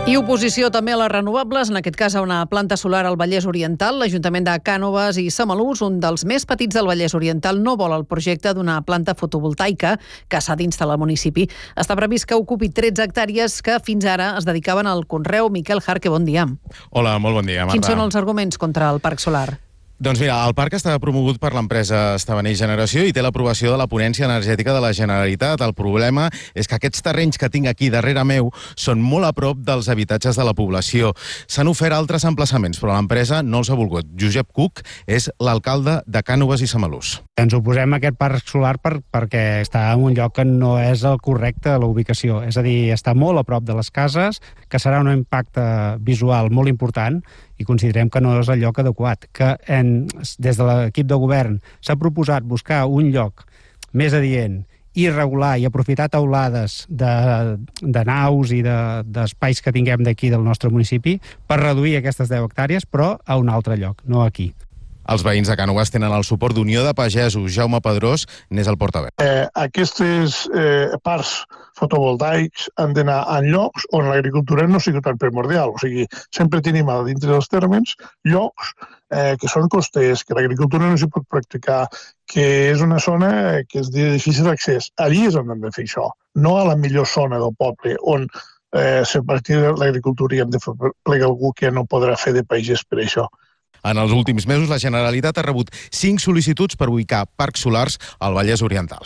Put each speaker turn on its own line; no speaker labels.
I oposició també a les renovables, en aquest cas a una planta solar al Vallès Oriental. L'Ajuntament de Cànoves i Samalús, un dels més petits del Vallès Oriental, no vol el projecte d'una planta fotovoltaica que s'ha d'instal·lar al municipi. Està previst que ocupi 13 hectàrees que fins ara es dedicaven al conreu. Miquel Jarque, bon dia.
Hola, molt bon dia, Marta.
Quins són els arguments contra el parc solar?
Doncs mira, el parc està promogut per l'empresa Estavanell Generació i té l'aprovació de la Ponència Energètica de la Generalitat. El problema és que aquests terrenys que tinc aquí darrere meu són molt a prop dels habitatges de la població. S'han ofert altres emplaçaments, però l'empresa no els ha volgut. Josep Cook és l'alcalde de Cànoves i Samalús.
Ens oposem a aquest parc solar perquè està en un lloc que no és el correcte a la ubicació. És a dir, està molt a prop de les cases, que serà un impacte visual molt important i considerem que no és el lloc adequat. Des de l'equip de govern s'ha proposat buscar un lloc més adient i regular i aprofitar taulades de naus i d'espais que tinguem d'aquí del nostre municipi per reduir aquestes 10 hectàrees, però a un altre lloc, no aquí.
Els veïns de Cànoves tenen el suport d'Unió de Pagesos. Jaume Pedrós n'és el portaveu.
Aquestes parcs fotovoltaics han d'anar en llocs on l'agricultura no sigui tan primordial. O sigui, sempre tenim a dintre dels termes llocs que són costers, que l'agricultura no s'hi pot practicar, que és una zona que és de difícil accés. Allí és on hem de fer això, no a la millor zona del poble, on a partir de l'agricultura hi hem de fer plegar algú que no podrà fer de pagès per això.
En els últims mesos, la Generalitat ha rebut 5 sol·licituds per ubicar parcs solars al Vallès Oriental.